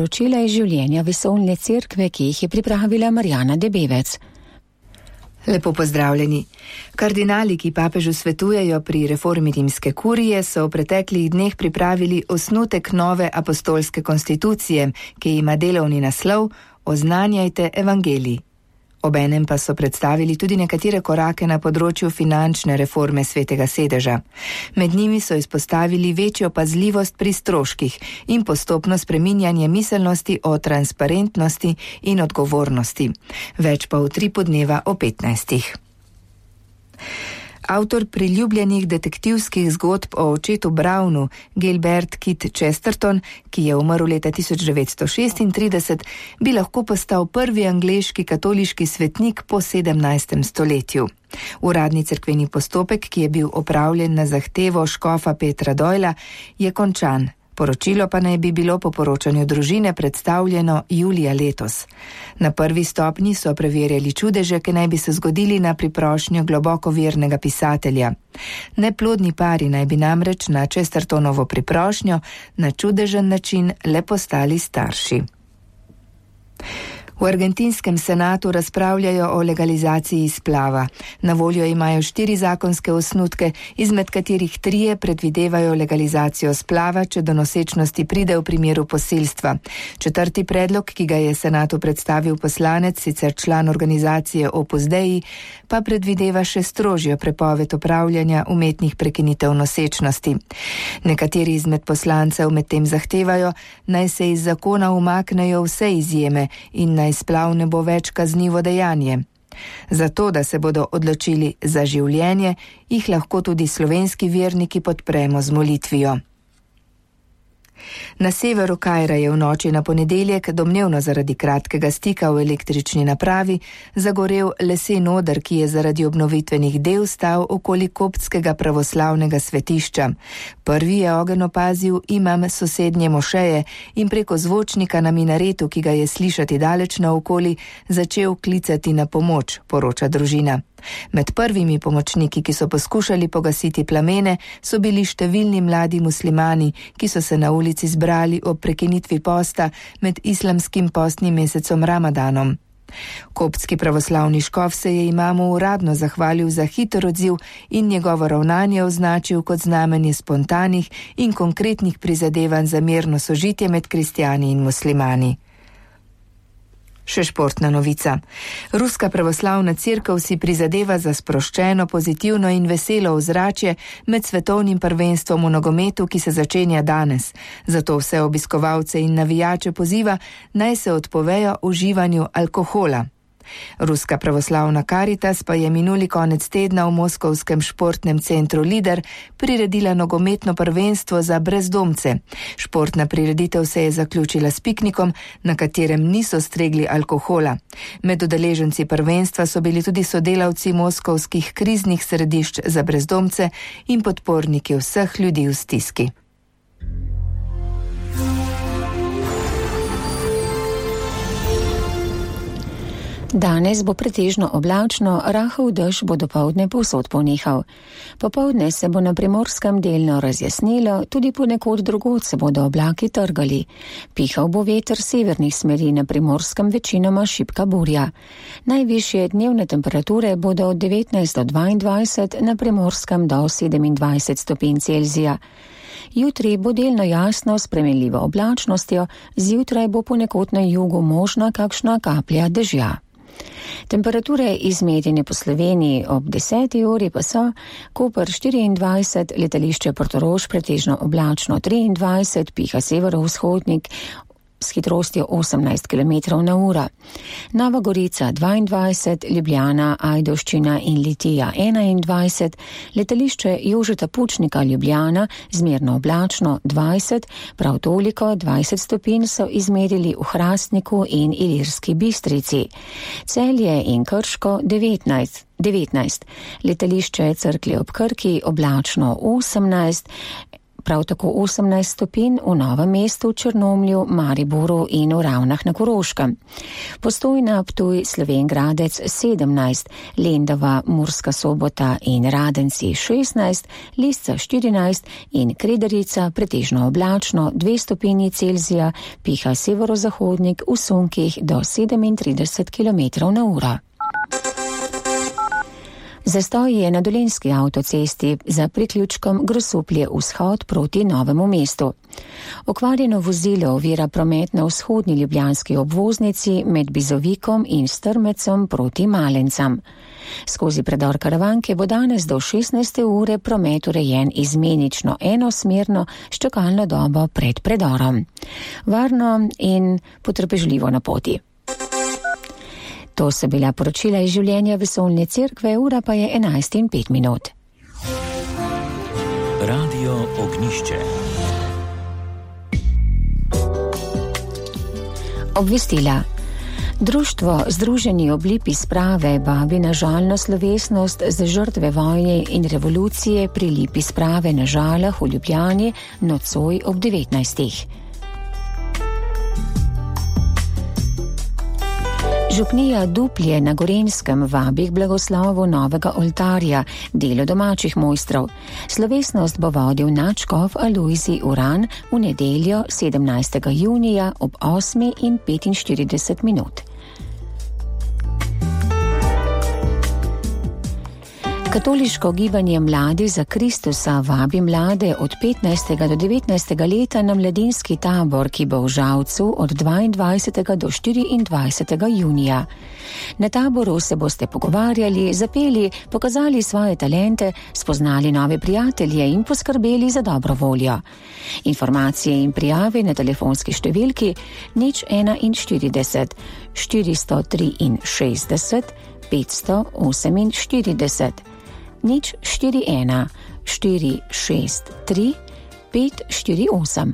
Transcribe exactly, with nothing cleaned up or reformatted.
poročila iz življenja vesoljne cerkve, ki jih je pripravila Marjana Debevec. Lepo pozdravljeni. Kardinali, ki papežu svetujejo pri reformi rimske kurije, so v preteklih dneh pripravili osnutek nove apostolske konstitucije, ki ima delovni naslov Oznanjajte evangelij. Obenem pa so predstavili tudi nekatere korake na področju finančne reforme Svetega sedeža. Med njimi so izpostavili večjo pazljivost pri stroških in postopno spreminjanje miselnosti o transparentnosti in odgovornosti. Več pa v tripu dneva o petnajstih. Avtor priljubljenih detektivskih zgodb o očetu Brownu, Gilbert Kit Chesterton, ki je umrl leta tisoč devetsto šestintrideset, bi lahko postal prvi angleški katoliški svetnik po sedemnajstem stoletju. Uradni cerkveni postopek, ki je bil opravljen na zahtevo škofa Petra Doyla, je končan. Poročilo pa naj bi bilo po poročanju družine predstavljeno julija letos. Na prvi stopnji so preverjali čudeže, ki naj bi se zgodili na priprošnjo globoko vernega pisatelja. Neplodni pari naj bi namreč na Chestertonovo priprošnjo na čudežen način le postali starši. V argentinskem senatu razpravljajo o legalizaciji splava. Na voljo imajo štiri zakonske osnutke, izmed katerih trije predvidevajo legalizacijo splava, če do nosečnosti pride v primeru posilstva. Četrti predlog, ki ga je senatu predstavil poslanec, sicer član organizacije Opus Dei, pa predvideva še strožjo prepoved opravljanja umetnih prekinitev nosečnosti. Nekateri izmed poslancev medtem zahtevajo, naj se iz zakona umaknejo vse izjeme in naj splav ne bo več kaznivo dejanje. Zato, da se bodo odločili za življenje, jih lahko tudi slovenski verniki podpremo z molitvijo. Na severu Kaira je v noči na ponedeljek, domnevno zaradi kratkega stika v električni napravi, zagorel lesen oder, ki je zaradi obnovitvenih del stal okoli koptskega pravoslavnega svetišča. Prvi je ogenj opazil imam sosednje mošeje in preko zvočnika na minaretu, ki ga je slišati daleč naokoli, začel klicati na pomoč, poroča družina. Med prvimi pomočniki, ki so poskušali pogasiti plamene, so bili številni mladi muslimani, ki so se na ulici zbrali ob prekinitvi posta med islamskim postnim mesecom Ramadanom. Koptski pravoslavni škof se je imamu uradno zahvalil za hiter odziv in njegovo ravnanje označil kot znamenje spontanih in konkretnih prizadevanj za mirno sožitje med kristjani in muslimani. Še športna novica. Ruska pravoslavna cerkev si prizadeva za sproščeno, pozitivno in veselo ozračje med svetovnim prvenstvom v nogometu, ki se začenja danes. Zato vse obiskovalce in navijače poziva, naj se odpovejo uživanju alkohola. Ruska pravoslavna Karitas pa je minuli konec tedna v moskovskem športnem centru Lider priredila nogometno prvenstvo za brezdomce. Športna prireditev se je zaključila s piknikom, na katerem niso stregli alkohola. Med udeleženci prvenstva so bili tudi sodelavci moskovskih kriznih središč za brezdomce in podporniki vseh ljudi v stiski. Danes bo pretežno oblačno, rahel dež bo dopoldne povsod ponehal. Popoldne se bo na Primorskem delno razjasnilo, tudi ponekod drugod se bodo oblaki trgali. Pihal bo veter severnih smeri, na Primorskem večinoma šibka burja. Najvišje dnevne temperature bodo od devetnajst do dvaindvajset, na Primorskem do sedemindvajset stopinj Celzija. Jutri bo delno jasno s spremenljivo oblačnostjo, zjutraj bo ponekod na jugu možna kakšna kaplja dežja. Temperature izmerjene po Sloveniji ob deseti uri pa so: Koper štiriindvajset, letališče Portorož pretežno oblačno triindvajset, piha severovzhodnik s hitrostjo osemnajst kilometrov na uro. Nova Gorica dvaindvajset, Ljubljana, Ajdovščina in Litija enaindvajset, letališče Jožeta Pučnika Ljubljana zmerno oblačno dvajset, prav toliko dvajset stopinj so izmerili v Hrastniku in Ilirski Bistrici. Celje in Krško devetnajst, devetnajst, letališče Cerklje ob Krki oblačno osemnajst, prav tako osemnajst stopinj v Novem mestu, Črnomlju, Mariboru in v Ravnah na Koroškem. Postojna, Ptuj, Slovenj Gradec sedemnajst, Lendava, Murska Sobota in Radenci šestnajst, Lisca štirinajst in Kredarica pretežno oblačno dve stopinji Celzija, piha severozahodnik v sunkih do sedemintrideset kilometrov na uro. Zastoj je na Dolenjski avtocesti za priključkom Grosuplje vzhod proti Novemu mestu. Okvarjeno vozilo ovira promet na vzhodni ljubljanski obvoznici med Bizovikom in Strmecem proti Malencam. Skozi predor Karavanke bo danes do šestnajste ure promet urejen izmenično enosmerno s čakalno dobo pred predorom. Varno in potrpežljivo na poti. To so bila poročila iz življenja Vesoljne cerkve, ura pa je enajst in pet minut. Radio Ognjišče. Obvestila. Društvo Združeni ob lipi sprave vabi na žalno slovesnost za žrtve vojne in revolucije pri lipi sprave na Žalah v Ljubljani nocoj ob devetnajstih. Župnija Duplje na Gorenjskem vabi k blagoslovu novega oltarja, delo domačih mojstrov. Slovesnost bo vodil nadškof Alojzij Uran v nedeljo sedemnajstega junija ob osmi in petinštirideset minut. Katoliško gibanje Mladi za Kristusa vabi mlade od petnajstega do devetnajstega leta na mladinski tabor, ki bo v Žalcu od dvaindvajsetega do štiriindvajsetega junija. Na taboru se boste pogovarjali, zapeli, pokazali svoje talente, spoznali nove prijatelje in poskrbeli za dobro voljo. Informacije in prijave na telefonski številki nič enainštirideset, štiristo triinšestdeset, petsto oseminštirideset. Nič štiri ena štiri šest tri pet štiri osem.